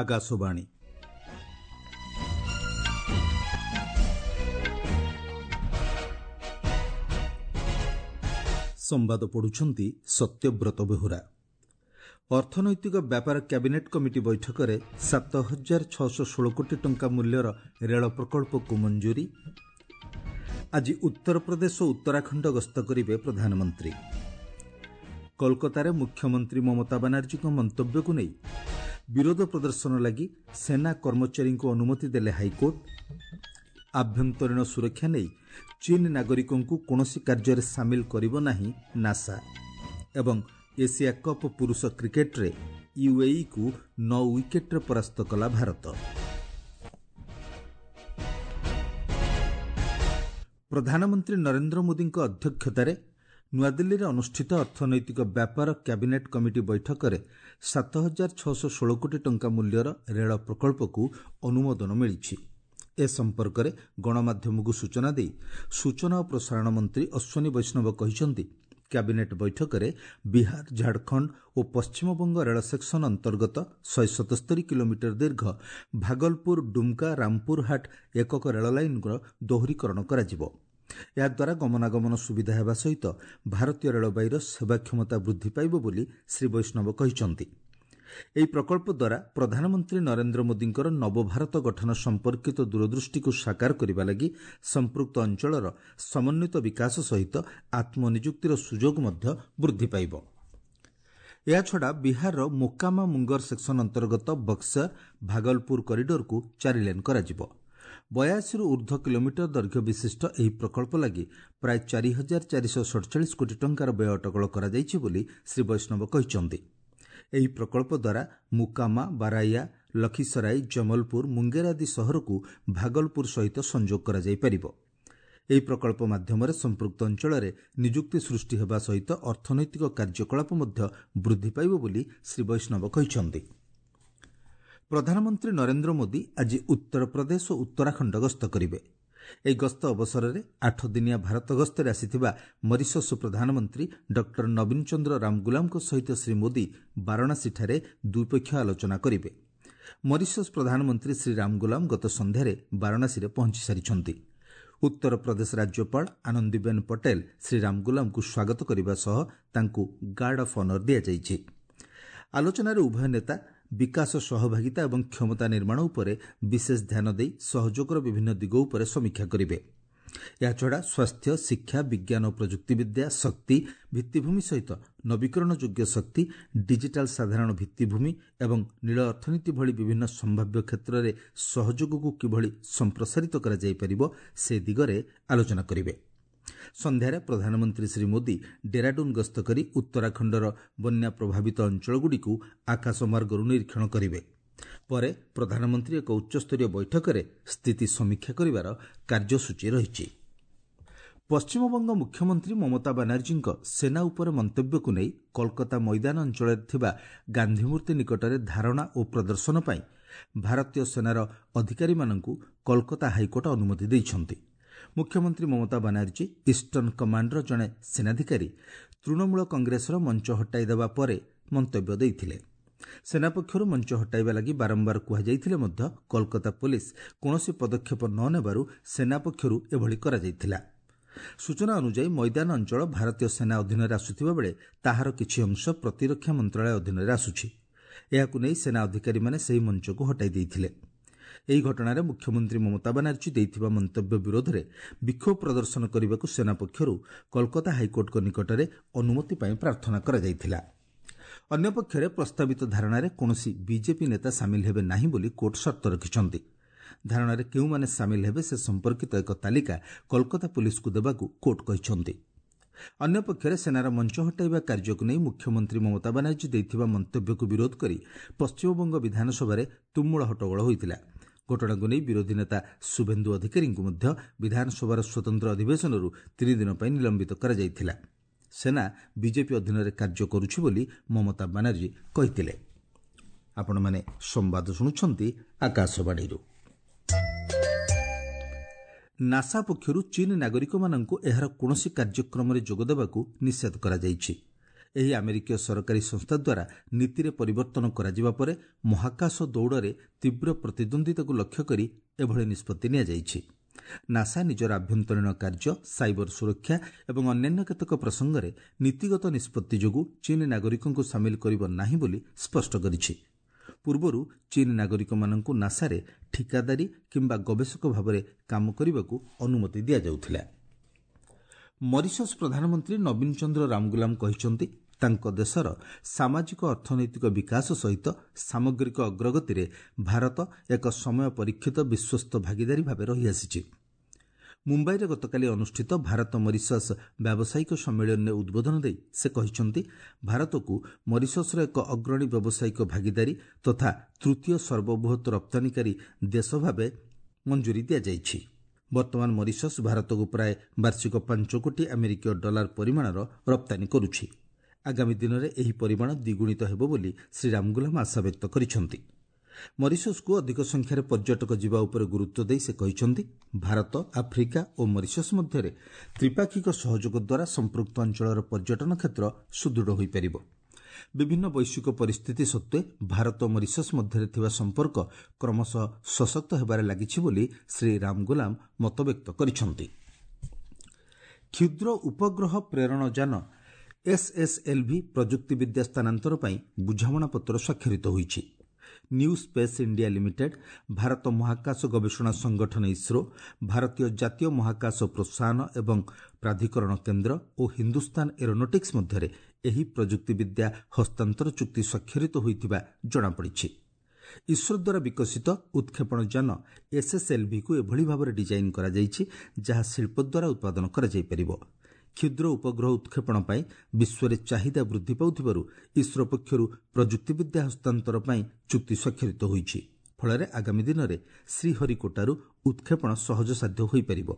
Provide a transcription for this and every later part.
ଆକାଶବାଣୀ। ସମ୍ବାଦ ପଢୁଛନ୍ତି ସତ୍ୟବ୍ରତ ବେହୁରା। ଅର୍ଥନୈତିକ ବ୍ୟାପାର କ୍ୟାବିନେଟ୍ କମିଟି ବୈଠକରେ 7616 କୋଟି ଟଙ୍କା ମୂଲ୍ୟର ରେଳ ପ୍ରକଳ୍ପକୁ ମଞ୍ଜୁରୀ। ଆଜି ଉତ୍ତରପ୍ରଦେଶ ଓ ଉତ୍ତରାଖଣ୍ଡ ଗସ୍ତ କରିବେ ପ୍ରଧାନମନ୍ତ୍ରୀ। କୋଲକାତାରେ ମୁଖ୍ୟମନ୍ତ୍ରୀ ମମତା ବାନାର୍ଜୀଙ୍କ ମନ୍ତବ୍ୟକୁ ନେଇ ବିରୋଧ ପ୍ରଦର୍ଶନ ଲାଗି ସେନା କର୍ମଚାରୀଙ୍କୁ ଅନୁମତି ଦେଲେ ହାଇକୋର୍ଟ। ଆଭ୍ୟନ୍ତରୀଣ ସୁରକ୍ଷା ନେଇ ଚୀନ ନାଗରିକଙ୍କୁ କୌଣସି କାର୍ଯ୍ୟରେ ସାମିଲ କରିବ ନାହିଁ ନାସା। ଏବଂ ଏସିଆ କପ୍ ପୁରୁଷ କ୍ରିକେଟରେ ୟୁଏଇକୁ 9 ୱିକେଟରେ ପରାସ୍ତ କଲା ଭାରତ। ପ୍ରଧାନମନ୍ତ୍ରୀ ନରେନ୍ଦ୍ର ମୋଦିଙ୍କ ଅଧ୍ୟକ୍ଷତାରେ ନୂଆଦିଲ୍ଲୀରେ ଅନୁଷ୍ଠିତ ଅର୍ଥନୈତିକ ବ୍ୟାପାର କ୍ୟାବିନେଟ୍ କମିଟି ବୈଠକରେ 7616 କୋଟି ଟଙ୍କା ମୂଲ୍ୟର ରେଳ ପ୍ରକଳ୍ପକୁ ଅନୁମୋଦନ ମିଳିଛି। ଏ ସମ୍ପର୍କରେ ଗଣମାଧ୍ୟମକୁ ସୂଚନା ଦେଇ ସୂଚନା ଓ ପ୍ରସାରଣ ମନ୍ତ୍ରୀ ଅଶ୍ୱିନୀ ବୈଷ୍ଣବ କହିଛନ୍ତି, କ୍ୟାବିନେଟ୍ ବୈଠକରେ ବିହାର, ଝାଡ଼ଖଣ୍ଡ ଓ ପଶ୍ଚିମବଙ୍ଗ ରେଳ ସେକ୍ସନ ଅନ୍ତର୍ଗତ 177 କିଲୋମିଟର ଦୀର୍ଘ ଭାଗଲପୁର ଡୁମ୍କା ରାମପୁରହାଟ ଏକକ ରେଳ ଲାଇନ୍ର ଦୋହରୀକରଣ କରାଯିବ। ଏହାଦ୍ୱାରା ଗମନାଗମନ ସୁବିଧା ହେବା ସହିତ ଭାରତୀୟ ରେଳବାଇର ସେବା କ୍ଷମତା ବୃଦ୍ଧି ପାଇବ ବୋଲି ଶ୍ରୀ ବୈଷ୍ଣବ କହିଛନ୍ତି। ଏହି ପ୍ରକଳ୍ପ ଦ୍ୱାରା ପ୍ରଧାନମନ୍ତ୍ରୀ ନରେନ୍ଦ୍ର ମୋଦିଙ୍କର ନବଭାରତ ଗଠନ ସମ୍ପର୍କିତ ଦୂରଦୃଷ୍ଟିକୁ ସାକାର କରିବା ଲାଗି ସମ୍ପୃକ୍ତ ଅଞ୍ଚଳର ସମନ୍ୱିତ ବିକାଶ ସହିତ ଆତ୍ମନିଯୁକ୍ତିର ସୁଯୋଗ ମଧ୍ୟ ବୃଦ୍ଧି ପାଇବ। ଏହାଛଡ଼ା ବିହାରର ମୋକାମା ମୁଙ୍ଗର ସେକ୍ସନ ଅନ୍ତର୍ଗତ ବକ୍ସର ଭାଗଲପୁର କରିଡରକୁ 4 ଲେନ୍ କରାଯିବ। 82ରୁ ଉର୍ଦ୍ଧ୍ୱ କିଲୋମିଟର ଦୈର୍ଘ୍ୟ ବିଶିଷ୍ଟ ଏହି ପ୍ରକଳ୍ପ ଲାଗି ପ୍ରାୟ 4447 କୋଟି ଟଙ୍କାର ବ୍ୟୟ ଅଟକଳ କରାଯାଇଛି ବୋଲି ଶ୍ରୀ ବୈଷ୍ଣବ କହିଛନ୍ତି। ଏହି ପ୍ରକଳ୍ପ ଦ୍ୱାରା ମୁକାମା, ବାରାଇଆ, ଲଖିସରାଇ, ଜମଲପୁର, ମୁଙ୍ଗେର ଆଦି ସହରକୁ ଭାଗଲପୁର ସହିତ ସଂଯୋଗ କରାଯାଇପାରିବ। ଏହି ପ୍ରକଳ୍ପ ମାଧ୍ୟମରେ ସମ୍ପୃକ୍ତ ଅଞ୍ଚଳରେ ନିଯୁକ୍ତି ସୃଷ୍ଟି ହେବା ସହିତ ଅର୍ଥନୈତିକ କାର୍ଯ୍ୟକଳାପ ମଧ୍ୟ ବୃଦ୍ଧି ପାଇବ ବୋଲି ଶ୍ରୀ ବୈଷ୍ଣବ କହିଛନ୍ତି। ପ୍ରଧାନମନ୍ତ୍ରୀ ନରେନ୍ଦ୍ର ମୋଦି ଆଜି ଉତ୍ତରପ୍ରଦେଶ ଓ ଉତ୍ତରାଖଣ୍ଡ ଗସ୍ତ କରିବେ। ଏହି ଗସ୍ତ ଅବସରରେ 8 ଦିନିଆ ଭାରତ ଗସ୍ତରେ ଆସିଥିବା ମରିସସ୍ ପ୍ରଧାନମନ୍ତ୍ରୀ ଡକ୍ଟର ନବୀନ ଚନ୍ଦ୍ର ରାମଗୁଲାମଙ୍କ ସହିତ ଶ୍ରୀ ମୋଦି ବାରାଣସୀଠାରେ ଦ୍ୱିପକ୍ଷୀୟ ଆଲୋଚନା କରିବେ। ମରିସସ୍ ପ୍ରଧାନମନ୍ତ୍ରୀ ଶ୍ରୀ ରାମଗୁଲାମ ଗତ ସନ୍ଧ୍ୟାରେ ବାରାଣସୀରେ ପହଞ୍ଚି ସାରିଛନ୍ତି। ଉତ୍ତରପ୍ରଦେଶ ରାଜ୍ୟପାଳ ଆନନ୍ଦିବେନ ପଟେଲ ଶ୍ରୀ ରାମଗୁଲାମଙ୍କୁ ସ୍ୱାଗତ କରିବା ସହ ତାଙ୍କୁ ଗାର୍ଡ ଅଫ୍ ଅନର ଦିଆଯାଇଛି। ଆଲୋଚନାରେ ଉଭୟ ନେତା ବିକାଶ, ସହଭାଗିତା ଏବଂ କ୍ଷମତା ନିର୍ମାଣ ଉପରେ ବିଶେଷ ଧ୍ୟାନ ଦେଇ ସହଯୋଗର ବିଭିନ୍ନ ଦିଗ ଉପରେ ସମୀକ୍ଷା କରିବେ। ଏହାଛଡ଼ା ସ୍ୱାସ୍ଥ୍ୟ, ଶିକ୍ଷା, ବିଜ୍ଞାନ ଓ ପ୍ରଯୁକ୍ତିବିଦ୍ୟା, ଶକ୍ତି, ଭିତ୍ତିଭୂମି ସହିତ ନବୀକରଣ ଯୋଗ୍ୟ ଶକ୍ତି, ଡିଜିଟାଲ ସାଧାରଣ ଭିତ୍ତିଭୂମି ଏବଂ ନୀଳ ଅର୍ଥନୀତି ଭଳି ବିଭିନ୍ନ ସମ୍ଭାବ୍ୟ କ୍ଷେତ୍ରରେ ସହଯୋଗକୁ କିଭଳି ସମ୍ପ୍ରସାରିତ କରାଯାଇପାରିବ ସେ ଦିଗରେ ଆଲୋଚନା କରିବେ। ସନ୍ଧ୍ୟାରେ ପ୍ରଧାନମନ୍ତ୍ରୀ ଶ୍ରୀ ମୋଦି ଡେରାଡୁନ୍ ଗସ୍ତ କରି ଉତ୍ତରାଖଣ୍ଡର ବନ୍ୟା ପ୍ରଭାବିତ ଅଞ୍ଚଳଗୁଡ଼ିକୁ ଆକାଶମାର୍ଗରୁ ନିରୀକ୍ଷଣ କରିବେ। ପରେ ପ୍ରଧାନମନ୍ତ୍ରୀ ଏକ ଉଚ୍ଚସ୍ତରୀୟ ବୈଠକରେ ସ୍ଥିତି ସମୀକ୍ଷା କରିବାର କାର୍ଯ୍ୟସୂଚୀ ରହିଛି। ପଶ୍ଚିମବଙ୍ଗ ମୁଖ୍ୟମନ୍ତ୍ରୀ ମମତା ବାନାର୍ଜୀଙ୍କ ସେନା ଉପରେ ମନ୍ତବ୍ୟକୁ ନେଇ କୋଲକାତା ମଇଦାନ ଅଞ୍ଚଳରେ ଥିବା ଗାନ୍ଧୀମୂର୍ତ୍ତି ନିକଟରେ ଧାରଣା ଓ ପ୍ରଦର୍ଶନ ପାଇଁ ଭାରତୀୟ ସେନାର ଅଧିକାରୀମାନଙ୍କୁ କୋଲକାତା ହାଇକୋର୍ଟ ଅନୁମତି ଦେଇଛନ୍ତି। ମୁଖ୍ୟମନ୍ତ୍ରୀ ମମତା ବାନାର୍ଜୀ ଇଷ୍ଟର୍ଣ୍ଣ କମାଣ୍ଡର ଜଣେ ସେନାଧିକାରୀ ତୃଣମୂଳ କଂଗ୍ରେସର ମଞ୍ଚ ହଟାଇ ଦେବା ପରେ ମନ୍ତବ୍ୟ ଦେଇଥିଲେ। ସେନା ପକ୍ଷରୁ ମଞ୍ଚ ହଟାଇବା ଲାଗି ବାରମ୍ବାର କୁହାଯାଇଥିଲେ ମଧ୍ୟ କୋଲକାତା ପୋଲିସ କୌଣସି ପଦକ୍ଷେପ ନ ନେବାରୁ ସେନା ପକ୍ଷରୁ ଏଭଳି କରାଯାଇଥିଲା। ସୂଚନା ଅନୁଯାୟୀ ମଇଦାନ ଅଞ୍ଚଳ ଭାରତୀୟ ସେନା ଅଧୀନରେ ଆସୁଥିବା ବେଳେ ତାହାର କିଛି ଅଂଶ ପ୍ରତିରକ୍ଷା ମନ୍ତ୍ରଣାଳୟ ଅଧୀନରେ ଆସୁଛି। ଏହାକୁ ନେଇ ସେନା ଅଧିକାରୀମାନେ ସେହି ମଞ୍ଚକୁ ହଟାଇ ଦେଇଥିଲେ। ଏହି ଘଟଣାରେ ମୁଖ୍ୟମନ୍ତ୍ରୀ ମମତା ବାନାର୍ଜୀ ଦେଇଥିବା ମନ୍ତବ୍ୟ ବିରୋଧରେ ବିକ୍ଷୋଭ ପ୍ରଦର୍ଶନ କରିବାକୁ ସେନା ପକ୍ଷରୁ କୋଲକାତା ହାଇକୋର୍ଟଙ୍କ ନିକଟରେ ଅନୁମତି ପାଇଁ ପ୍ରାର୍ଥନା କରାଯାଇଥିଲା। ଅନ୍ୟପକ୍ଷରେ ପ୍ରସ୍ତାବିତ ଧାରଣାରେ କୌଣସି ବିଜେପି ନେତା ସାମିଲ ହେବେ ନାହିଁ ବୋଲି କୋର୍ଟ ସର୍ତ୍ତ ରଖିଛନ୍ତି। ଧାରଣାରେ କେଉଁମାନେ ସାମିଲ ହେବେ ସେ ସମ୍ପର୍କିତ ଏକ ତାଲିକା କୋଲକାତା ପୋଲିସକୁ ଦେବାକୁ କୋର୍ଟ କହିଛନ୍ତି। ଅନ୍ୟପକ୍ଷରେ ସେନାର ମଞ୍ଚ ହଟାଇବା କାର୍ଯ୍ୟକୁ ନେଇ ମୁଖ୍ୟମନ୍ତ୍ରୀ ମମତା ବାନାର୍ଜୀ ଦେଇଥିବା ମନ୍ତବ୍ୟକୁ ବିରୋଧ କରି ପଶ୍ଚିମବଙ୍ଗ ବିଧାନସଭାରେ ତୁମୁଳ ହଟ୍ଟଗୋଳ ହୋଇଥିଲା। ଘଟଣାକୁ ନେଇ ବିରୋଧୀ ନେତା ଶୁଭେନ୍ଦୁ ଅଧିକାରୀଙ୍କୁ ମଧ୍ୟ ବିଧାନସଭାର ସ୍ୱତନ୍ତ୍ର ଅଧିବେଶନରୁ 3 ଦିନ ପାଇଁ ନିଲମ୍ବିତ କରାଯାଇଥିଲା। ସେନା ବିଜେପି ଅଧୀନରେ କାର୍ଯ୍ୟ କରୁଛି ବୋଲି ମମତା ବାନାର୍ଜୀ କହିଥିଲେ। ଆପଣମାନେ ସମ୍ବାଦ ଶୁଣୁଛନ୍ତି ଆକାଶବାଣୀରୁ। ନାସା ପକ୍ଷରୁ ଚୀନ ନାଗରିକମାନଙ୍କୁ ଏହାର କୌଣସି କାର୍ଯ୍ୟକ୍ରମରେ ଯୋଗଦେବାକୁ ନିଷେଧ କରାଯାଇଛି। ଏହି ଆମେରିକୀୟ ସରକାରୀ ସଂସ୍ଥା ଦ୍ୱାରା ନୀତିରେ ପରିବର୍ତ୍ତନ କରାଯିବା ପରେ ମହାକାଶ ଦୌଡ଼ରେ ତୀବ୍ର ପ୍ରତିଦ୍ୱନ୍ଦ୍ୱିତାକୁ ଲକ୍ଷ୍ୟ କରି ଏଭଳି ନିଷ୍ପତ୍ତି ନିଆଯାଇଛି। ନାସା ନିଜର ଆଭ୍ୟନ୍ତରୀଣ କାର୍ଯ୍ୟ, ସାଇବର ସୁରକ୍ଷା ଏବଂ ଅନ୍ୟାନ୍ୟ କେତେକ ପ୍ରସଙ୍ଗରେ ନୀତିଗତ ନିଷ୍ପତ୍ତି ଯୋଗୁଁ ଚୀନ୍ ନାଗରିକଙ୍କୁ ସାମିଲ କରିବ ନାହିଁ ବୋଲି ସ୍ପଷ୍ଟ କରିଛି। ପୂର୍ବରୁ ଚୀନ୍ ନାଗରିକମାନଙ୍କୁ ନାସାରେ ଠିକାଦାରୀ କିମ୍ବା ଗବେଷକ ଭାବରେ କାମ କରିବାକୁ ଅନୁମତି ଦିଆଯାଉଥିଲା। ମରିସସ୍ ପ୍ରଧାନମନ୍ତ୍ରୀ ନବୀନ ଚନ୍ଦ୍ର ରାମଗୁଲାମ କହିଛନ୍ତି, ତାଙ୍କ ଦେଶର ସାମାଜିକ ଅର୍ଥନୈତିକ ବିକାଶ ସହିତ ସାମଗ୍ରିକ ଅଗ୍ରଗତିରେ ଭାରତ ଏକ ସମୟ ପରୀକ୍ଷିତ ବିଶ୍ୱସ୍ତ ଭାଗିଦାରୀ ଭାବେ ରହିଆସିଛି। ମୁମ୍ବାଇରେ ଗତକାଲି ଅନୁଷ୍ଠିତ ଭାରତ ମରିସସ୍ ବ୍ୟାବସାୟିକ ସମ୍ମିଳନୀରେ ଉଦ୍ବୋଧନ ଦେଇ ସେ କହିଛନ୍ତି, ଭାରତକୁ ମରିସସ୍ର ଏକ ଅଗ୍ରଣୀ ବ୍ୟବସାୟିକ ଭାଗିଦାରୀ ତଥା ତୃତୀୟ ସର୍ବବୃହତ୍ ରପ୍ତାନିକାରୀ ଦେଶ ଭାବେ ମଞ୍ଜୁରୀ ଦିଆଯାଇଛି। ବର୍ତ୍ତମାନ ମରିସସ୍ ଭାରତକୁ ପ୍ରାୟ ବାର୍ଷିକ 5 କୋଟି ଆମେରିକୀୟ ଡଲାର ପରିମାଣର ରପ୍ତାନୀ କରୁଛି। ଆଗାମୀ ଦିନରେ ଏହି ପରିମାଣ ଦ୍ୱିଗୁଣିତ ହେବ ବୋଲି ଶ୍ରୀ ରାମଗୁଲାମ ଆଶାବ୍ୟକ୍ତ କରିଛନ୍ତି। ମରିସସ୍କୁ ଅଧିକ ସଂଖ୍ୟାରେ ପର୍ଯ୍ୟଟକ ଯିବା ଉପରେ ଗୁରୁତ୍ୱ ଦେଇ ସେ କହିଛନ୍ତି, ଭାରତ, ଆଫ୍ରିକା ଓ ମରିସସ୍ ମଧ୍ୟରେ ତ୍ରିପାକ୍ଷିକ ସହଯୋଗ ଦ୍ୱାରା ସମ୍ପୃକ୍ତ ଅଞ୍ଚଳର ପର୍ଯ୍ୟଟନ କ୍ଷେତ୍ର ସୁଦୃଢ଼ ହୋଇପାରିବ। ବିଭିନ୍ନ ବୈଶ୍ୱିକ ପରିସ୍ଥିତି ସତ୍ତ୍ୱେ ଭାରତ ଓ ମରିସସ୍ ମଧ୍ୟରେ ଥିବା ସମ୍ପର୍କ କ୍ରମଶଃ ସଶକ୍ତ ହେବାରେ ଲାଗିଛି ବୋଲି ଶ୍ରୀ ରାମଗୁଲାମ ମତବ୍ୟକ୍ତ କରିଛନ୍ତି। କ୍ଷୁଦ୍ର ଉପଗ୍ରହ ପ୍ରେରଣ ଯାନ ଏସ୍ଏସ୍ଏଲ୍ଭି ପ୍ରଯୁକ୍ତିବିଦ୍ୟା ସ୍ଥାନାନ୍ତର ପାଇଁ ବୁଝାମଣାପତ୍ର ସ୍ୱାକ୍ଷରିତ ହୋଇଛି। New space India limited, Bharat ମହାକାଶ ଗବେଷଣା ସଂଗଠନ ଇସ୍ରୋ, ଭାରତୀୟ ଜାତୀୟ ମହାକାଶ ପ୍ରୋତ୍ସାହନ ଏବଂ ପ୍ରାଧିକରଣ କେନ୍ଦ୍ର ଓ ହିନ୍ଦୁସ୍ତାନ ଏରୋନଟିକ୍ସ ମଧ୍ୟରେ ଏହି ପ୍ରଯୁକ୍ତିବିଦ୍ୟା ହସ୍ତାନ୍ତର ଚୁକ୍ତି ସ୍ୱାକ୍ଷରିତ ହୋଇଥିବା ଜଣାପଡ଼ିଛି। ଇସ୍ରୋ ଦ୍ୱାରା ବିକଶିତ ଉତ୍କ୍ଷେପଣ ଯାନ ଏସ୍ଏସ୍ଏଲ୍ଭିକୁ ଏଭଳି ଭାବରେ ଡିଜାଇନ୍ କରାଯାଇଛି ଯାହା ଶିଳ୍ପ ଦ୍ୱାରା ଉତ୍ପାଦନ କରାଯାଇପାରିବ। କ୍ଷୁଦ୍ର ଉପଗ୍ରହ ଉତ୍କ୍ଷେପଣ ପାଇଁ ବିଶ୍ୱରେ ଚାହିଦା ବୃଦ୍ଧି ପାଉଥିବାରୁ ଇସ୍ରୋ ପକ୍ଷରୁ ପ୍ରଯୁକ୍ତିବିଦ୍ୟା ହସ୍ତାନ୍ତର ପାଇଁ ଚୁକ୍ତି ସ୍ୱାକ୍ଷରିତ ହୋଇଛି। ଫଳରେ ଆଗାମୀ ଦିନରେ ଶ୍ରୀହରିକୋଟାରୁ ଉତ୍କ୍ଷେପଣ ସହଜସାଧ୍ୟ ହୋଇପାରିବ।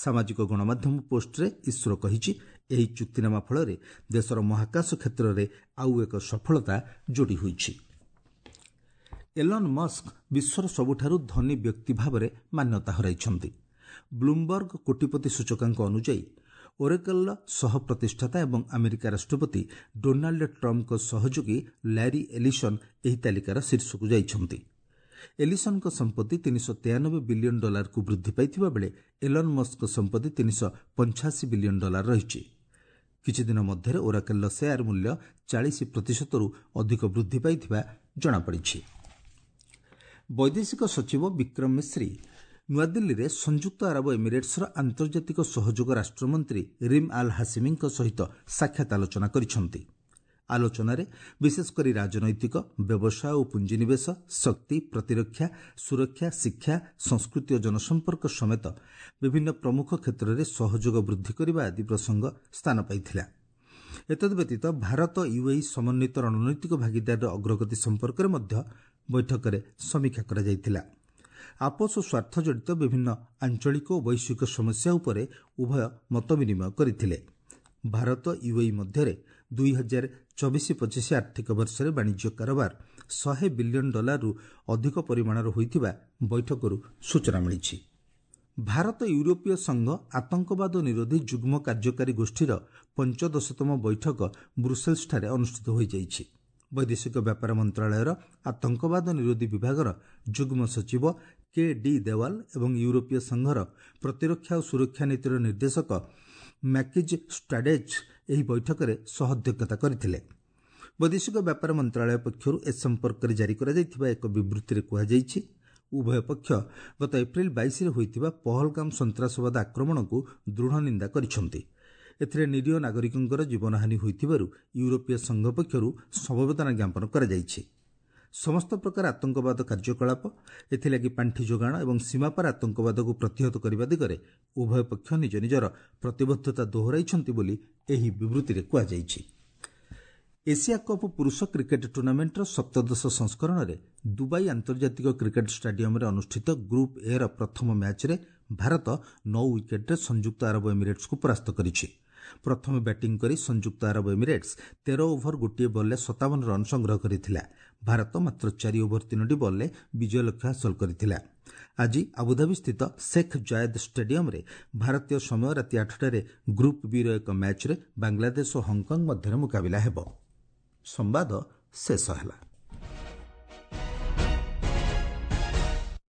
ସାମାଜିକ ଗଣମାଧ୍ୟମ ପୋଷ୍ଟରେ ଇସ୍ରୋ କହିଛି, ଏହି ଚୁକ୍ତିନାମା ଫଳରେ ଦେଶର ମହାକାଶ କ୍ଷେତ୍ରରେ ଆଉ ଏକ ସଫଳତା ଯୋଡ଼ି ହୋଇଛି। ଏଲନ୍ ମସ୍କ ବିଶ୍ୱର ସବୁଠାରୁ ଧନୀ ବ୍ୟକ୍ତି ଭାବରେ ମାନ୍ୟତା ହରାଇଛନ୍ତି। ବ୍ଲୁମବର୍ଗ କୋଟିପତି ସୂଚକାଙ୍କ ଅନୁଯାୟୀ ଓରେକଲ୍ର ସହ ପ୍ରତିଷ୍ଠାତା ଏବଂ ଆମେରିକା ରାଷ୍ଟ୍ରପତି ଡୋନାଲ୍ଡ ଟ୍ରମ୍ପଙ୍କ ସହଯୋଗୀ ଲ୍ୟାରି ଏଲିସନ୍ ଏହି ତାଲିକାର ଶୀର୍ଷକୁ ଯାଇଛନ୍ତି। ଏଲିସନ୍ଙ୍କ ସମ୍ପତ୍ତି 393 ବିଲିୟନ ଡଲାରକୁ ବୃଦ୍ଧି ପାଇଥିବା ବେଳେ ଏଲନ୍ ମସ୍କଙ୍କ ସମ୍ପତ୍ତି 385 ବିଲିୟନ ଡଲାର ରହିଛି। କିଛିଦିନ ମଧ୍ୟରେ ଓରାକେଲ୍ର ସେୟାର ମୂଲ୍ୟ 40%ରୁ ଅଧିକ ବୃଦ୍ଧି ପାଇଥିବା ଜଣାପଡ଼ିଛି। ବୈଦେଶିକ ସଚିବ ବିକ୍ରମ ମିଶ୍ରି ନୂଆଦିଲ୍ଲୀରେ ସଂଯୁକ୍ତ ଆରବ ଏମିରେଟ୍ସର ଆନ୍ତର୍ଜାତିକ ସହଯୋଗ ରାଷ୍ଟ୍ରମନ୍ତ୍ରୀ ରିମ୍ ଆଲ୍ ହାସିମିଙ୍କ ସହିତ ସାକ୍ଷାତ ଆଲୋଚନା କରିଛନ୍ତି। ଆଲୋଚନାରେ ବିଶେଷ କରି ରାଜନୈତିକ, ବ୍ୟବସାୟ ଓ ପୁଞ୍ଜିନିବେଶ, ଶକ୍ତି, ପ୍ରତିରକ୍ଷା, ସୁରକ୍ଷା, ଶିକ୍ଷା, ସଂସ୍କୃତି ଓ ଜନସମ୍ପର୍କ ସମେତ ବିଭିନ୍ନ ପ୍ରମୁଖ କ୍ଷେତ୍ରରେ ସହଯୋଗ ବୃଦ୍ଧି କରିବା ଆଦି ପ୍ରସଙ୍ଗ ସ୍ଥାନ ପାଇଥିଲା। ଏତଦ୍ବ୍ୟତୀତ ଭାରତ ୟୁଏଇ ସମନ୍ୱିତ ରଣନୈତିକ ଭାଗିଦାରୀର ଅଗ୍ରଗତି ସମ୍ପର୍କରେ ମଧ୍ୟ ବୈଠକରେ ସମୀକ୍ଷା କରାଯାଇଥିଲା। ଆପୋଷ ସ୍ୱାର୍ଥ ଜଡ଼ିତ ବିଭିନ୍ନ ଆଞ୍ଚଳିକ ଓ ବୈଶ୍ୱିକ ସମସ୍ୟା ଉପରେ ଉଭୟ ମତ ବିନିମୟ କରିଥିଲେ। ଭାରତ ୟୁଏଇ ମଧ୍ୟରେ 2024-25 ଆର୍ଥିକ ବର୍ଷରେ ବାଣିଜ୍ୟ କାରବାର 100 ବିଲିୟନ ଡଲାରରୁ ଅଧିକ ପରିମାଣର ହୋଇଥିବା ବୈଠକରୁ ସୂଚନା ମିଳିଛି। ଭାରତ ୟୁରୋପୀୟ ସଂଘ ଆତଙ୍କବାଦ ନିରୋଧୀ ଯୁଗ୍ମ କାର୍ଯ୍ୟକାରୀ ଗୋଷ୍ଠୀର 15ତମ ବୈଠକ ବ୍ରୁସେଲ୍ସଠାରେ ଅନୁଷ୍ଠିତ ହୋଇଯାଇଛି। ବୈଦେଶିକ ବ୍ୟାପାର ମନ୍ତ୍ରଣାଳୟର ଆତଙ୍କବାଦ ନିରୋଧୀ ବିଭାଗର ଯୁଗ୍ମ ସଚିବ କେ ଡି ଦେୱାଲ ଏବଂ ୟୁରୋପୀୟ ସଂଘର ପ୍ରତିରକ୍ଷା ଓ ସୁରକ୍ଷା ନୀତିର ନିର୍ଦ୍ଦେଶକ ମ୍ୟାକିଜ୍ ଷ୍ଟାଡେଜ୍ ଏହି ବୈଠକରେ ସହଅଧ୍ୟକ୍ଷତା କରିଥିଲେ। ବୈଦେଶିକ ବ୍ୟାପାର ମନ୍ତ୍ରଣାଳୟ ପକ୍ଷରୁ ଏ ସମ୍ପର୍କରେ ଜାରି କରାଯାଇଥିବା ଏକ ବିବୃତ୍ତିରେ କୁହାଯାଇଛି, ଉଭୟ ପକ୍ଷ ଗତ ଏପ୍ରିଲ 22ରେ ହୋଇଥିବା ପହଲଗାମ ସନ୍ତ୍ରାସବାଦ ଆକ୍ରମଣକୁ ଦୃଢ଼ ନିନ୍ଦା କରିଛନ୍ତି। ଏଥିରେ ନିରୀହ ନାଗରିକଙ୍କର ଜୀବନହାନି ହୋଇଥିବାରୁ ୟୁରୋପୀୟ ସଂଘ ପକ୍ଷରୁ ସମବେଦନା ଜ୍ଞାପନ କରାଯାଇଛି। ସମସ୍ତ ପ୍ରକାର ଆତଙ୍କବାଦ କାର୍ଯ୍ୟକଳାପ, ଏଥିଲାଗି ପାଣ୍ଠି ଯୋଗାଣ ଏବଂ ସୀମାପାର ଆତଙ୍କବାଦକୁ ପ୍ରତିହତ କରିବା ଦିଗରେ ଉଭୟ ପକ୍ଷ ନିଜ ନିଜର ପ୍ରତିବଦ୍ଧତା ଦୋହରାଇଛନ୍ତି ବୋଲି ଏହି ବିବୃତ୍ତିରେ କୁହାଯାଇଛି। ଏସିଆ କପ୍ ପୁରୁଷ କ୍ରିକେଟ୍ ଟୁର୍ଣ୍ଣାମେଣ୍ଟର 17 ସଂସ୍କରଣରେ ଦୁବାଇ ଆନ୍ତର୍ଜାତିକ କ୍ରିକେଟ୍ ଷ୍ଟାଡିୟମରେ ଅନୁଷ୍ଠିତ ଗ୍ରୁପ୍ ଏର ପ୍ରଥମ ମ୍ୟାଚ୍ରେ ଭାରତ 9 ୱିକେଟ୍ରେ ସଂଯୁକ୍ତ ଆରବ ଏମିରେଟ୍ସକୁ ପରାସ୍ତ କରିଛି। ପ୍ରଥମେ ବ୍ୟାଟିଂ କରି ସଂଯୁକ୍ତ ଆରବ ଏମିରେଟ୍ସ 13 ଓଭର 1 ବଲ୍ରେ 57 ରନ୍ ସଂଗ୍ରହ କରିଥିଲା। ଭାରତ ମାତ୍ର 4 ଓଭର 3ଟି ବଲ୍ରେ ବିଜୟ ଲକ୍ଷ୍ୟ ହାସଲ କରିଥିଲା। ଆଜି ଆବୁଧାବିସ୍ଥିତ ଶେଖ୍ ଜାୟେଦ୍ ଷ୍ଟାଡିୟମ୍ରେ ଭାରତୀୟ ସମୟ ରାତି 8ଟାରେ ଗ୍ରୁପ୍ ବିର ଏକ ମ୍ୟାଚ୍ରେ ବାଂଲାଦେଶ ଓ ହଂକଂ ମଧ୍ୟରେ ମୁକାବିଲା ହେବ। ସମ୍ବାଦ ଶେଷ ହେଲା।